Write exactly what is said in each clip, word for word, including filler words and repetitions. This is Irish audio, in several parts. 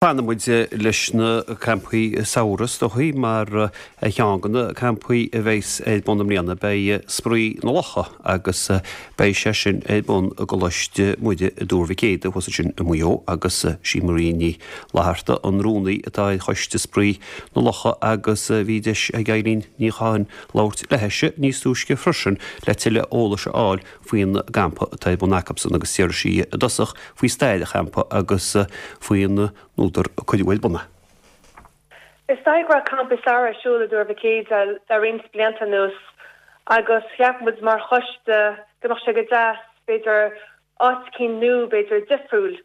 Fanfaidh muid leis na campaí samhraidh is dóichí mar ar cheann de na campaí a bheas ar bun i mbliana beidh Spraoi na Locha agus beidh sé sin ar bun i gColáiste Muire i dTuar Mhic Éadaigh thuas ansin i Maigh Eo agus sí Marie Ní Fhlatharta an rúnaí atá ar choiste Spraoi na Locha agus bhí deis ag Eileen Ní Chatháin labhairt léithise níos túisce freisin le tuilleadh eolais a fháil faoin gcampa atá ar bun acusan agus déarfaidh sí i dtosach faoi stair an champa agus faoin údar a cuireadh ar bun é. Is dóigh go raibh campa samhraidh ar siúl i dTuar Mhic Éadaigh le roinnt blianta anuas agus cheap muid mar choiste go mbeadh sé go deas b'fhéidir áit éicint nua b'fhéidir difriúil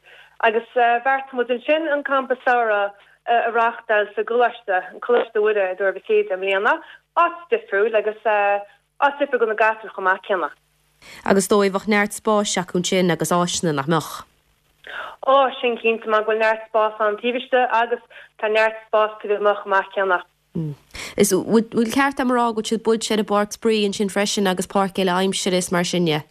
agus bheartaigh muid ansin an campa samhraidh a reáchtáil sa gcoláiste, an Coláiste Mhuire i dTuar Mhic Éadaigh i mbliana, áit difriúil agus áit difriúil do na gasúir chomh maith céanna. Agus dóigh bheadh neart spáis acu ansin agus áiseanna nach mbeadh. Ó sin cinnte mar go bhfuil neart spás ann taobh istigh agus tá neart spás taobh amuigh chomh maith céanna. Is bhfuil ceart agam a rá go bhfuil siad buailte ar an bpáirc spraoi ansin freisin agus páirc eile aimsire is mar sin de?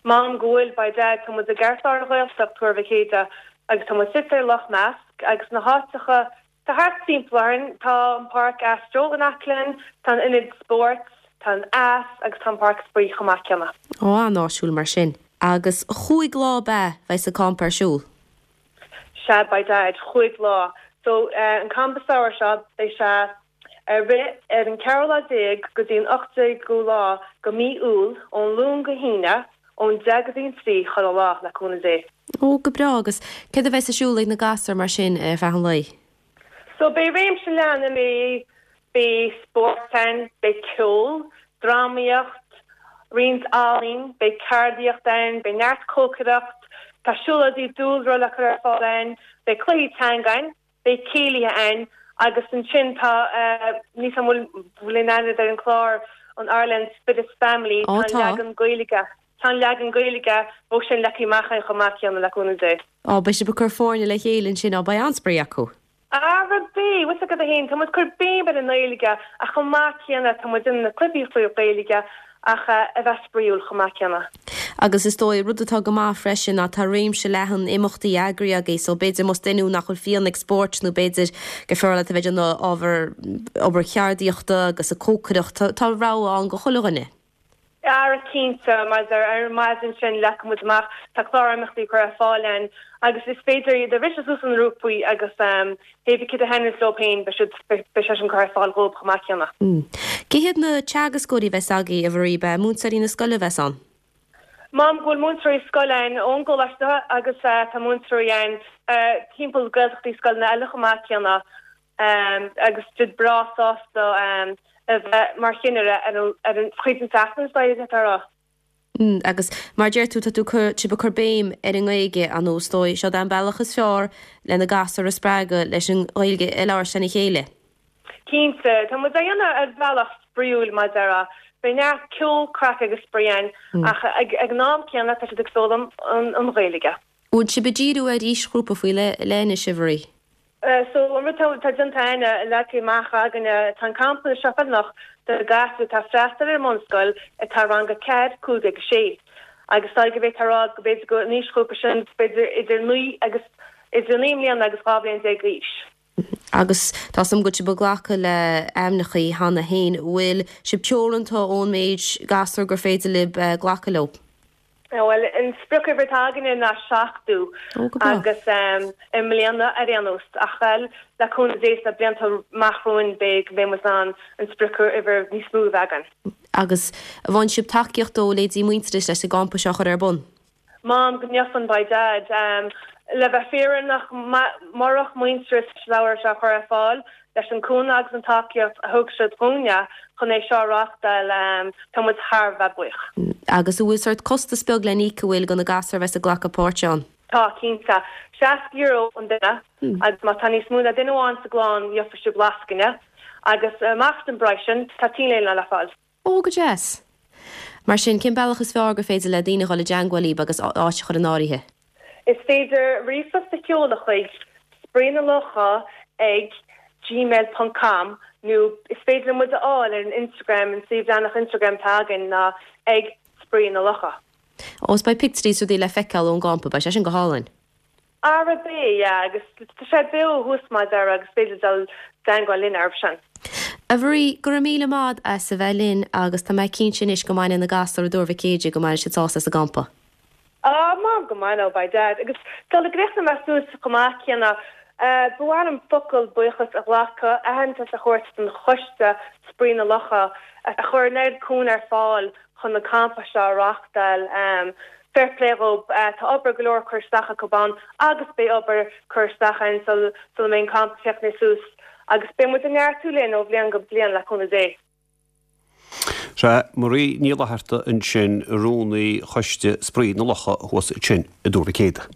Maím go bhfuil by dad tá muid i gceartlár an Ghaeltacht Tuar Mhic Éadaigh agus tá muid suite ar Loch Measc agus na háiteacha tá thart timpeall orainn tá an páirc Astro in aice linn, tá an ionad spóirt, tá an eas agus tá an páirc spraoi chomh maith céanna. Ó an-áisiúil mar sin. Agus chúig lá ab ea bheidh an campa ar siúl. Sea by dad chúig lá. So uh, an campa samhraidh seo beidh sé ar rith ar an ceathrú lá déag go dtí an ochtú déag lá go mí Iúil ón Luan go hAoine ón deich go dtí an trí chuile lá le cúnamh Dé. Ó go breá agus céard a bheas ar siúl ag na gasúir mar sin ar feadh an lae. So beidh réimse leathan imeachtaí beidh spórt ann, beidh ceol, drámaíocht, roinnt ealaín, beidh ceardaíocht ann, beidh neart cócaireacht, tá siúlóidí dúlra le cur ar fáil ann, beidh cluichí teanga ann, beidh céilithe ann agus ansin tá ní bhfuil bhfuil aithne ar an chlár an Ireland Fittest Family Ó tá tá. leagan Gaeilge. Tá leagan Gaeilge ó sin leagtha amach chomh maith céanna le cúnamh Dé. Á beidh sibh ag cur foirne le chéile ansin á beidh an-spraoi acu. Ara beidh, bhfuil a fhios agat féin tá muid ag cur béim ar an nGaeilge ach chomh maith céanna tá muid in na cluichí Gaeilge ach a bheith spraíúil chomh maith céanna. Agus is dóigh rud atá go maith freisin ná tá réimse leathan imeachtaí eagraithe agaibh, so b'fhéidir más duine nach bhfuil fiú ag spórt nó b'fhéidir go fearr leat a bheith ag ábhar obair cheardaíochta agus a cócaireacht tá rogha ann do chuile dhuine. Ara cinnte mar ar maidin sin leagfaidh muid amach tá clár imeachtaí curtha ar fáil ann agus is féidir iad a bhriseadh suas ina ngrúpaí agus um, hé cid a thaitníonn leo féin beidh sé sin curtha ar fáil dóibh chomh maith céanna. Mm. Cé hiad na teagascóirí a bheas agaibh a Mharie be múinteoirí na scoile a bheas ann? Maím go bhfuil múinteoirí scoile ann ón gcoláiste agus uh, tá múinteoirí ann uh, timpeall Gaeltachtaí scoileanna eile chomh maith céanna um, agus iad breá sásta um, a bheith mar chinnire ar an chuid an tseachtain rá. Mm, agus mar deir tú tá tú sibh ag cur béim ar an nGaeilge an dóigh seo an bealach is fearr le na gasúir a spreagadh leis an Ghaeilge a labhairt lena chéile. Cinnte tá muid á dhéanamh ar bhealach spraíúil mar a déarfá neart ceol craic agus spraoi ann mm. ach ag ag an am céanna tá siad ag foghlaim an an Ghaeilge. Bhfuil sibh ag díriú ar aoisghrúpa faoi leith anois a Mharie. Uh, so an rud tá déanta leagtha amach againne tá an campa seo feiliúnach do gasúir atá ag freastal ar an mbunscoil atá rang a ceathair cúig agus sé. Agus tá go bheith rá go b'fhéidir go n-aoisghrúpa sin b'fhéidir idir naoi agus idir naoi mbliana agus dhá bhliain déag d'aois. Agus tá sam go sibh ag glacadh le hainmneacha cheana féin bhfuil sibh teoranta ón méid gasúr gur féidir libh uh, glacadh leo. Well an spriocuimhir atá againne ná seachtó agus um, i mbliana ar aon nós ach le cúnamh Dé sna blianta amach romhainn beidh beidh an an spriocuimhir níos mó againn. Agus bhain sibh tacaíocht ó leithéidí Muintearas leis an gcampa seo chur ar bun. Maím go ndearna by dad um, le bheith fírinneach murach Muintearas leabhar seo chur ar fáil leis an cúnamh agus an tacaíocht a thug siad dúinne chun é seo a reáchtáil um, tá muid thar a bheith buíoch. Agus bhfuil sórt costas beag le n-íoc bhfuil do na gasúir a bheas ag glacadh páirt ann. Tá cinnte seasca euro an duine hmm. agus má tá níos mó ná duine amháin sa gclann gheobhaidh siad lascaine agus amach den bpraghas sin tá t-léine le fáil. Ó go deas. Mar sin cén bealach is fearr gur féidir le daoine dul i dteagmháil libh agus áit a chur in áirithe. Is féidir ríomhphost a sheoladh chuig spraoinalocha ag gmail.com nó is féidir muid a fháil ar an Instagram an suíomh leathanach Instagram atá againn ná ag spraoi na locha. Ó beidh pictiúirí rudaí le feiceáil ón gcampa, beidh sé sin go hálainn. Ara beidh, yeah, agus tá sé beo thuas mar deir agus féidir dul i dteagmháil linn air sin. A Mharie, go raibh míle maith as a bheith linn agus tá mé cinnte anois go mbeidh na gasúir i dTuar Mhic Éadaigh go mbeidh siad sásta sa gcampa. Ah, má go maith beidh dad. Agus tá le gréachna measús go maith céanna ba mhaith liom focal buíochas a ghlacadh aitheantas a thabhairt don choiste Spraoi na Locha a chuir an oiread cúnamh ar fáil chun na campa seo a reáchtáil. Um, fair play dhób uh, tá obair go leor curtha isteach acu ann agus beidh obair curtha isteach ann sul sul mbeidh campa críochnaithe suas agus beidh muid ag neartú linn ó bhliain go bliain le cúnamh Dé. Sé Marie Ní Fhlatharta ansin rúnaí choiste Spraoi na Locha thuas ansin i dTuar Mhic Éadaigh.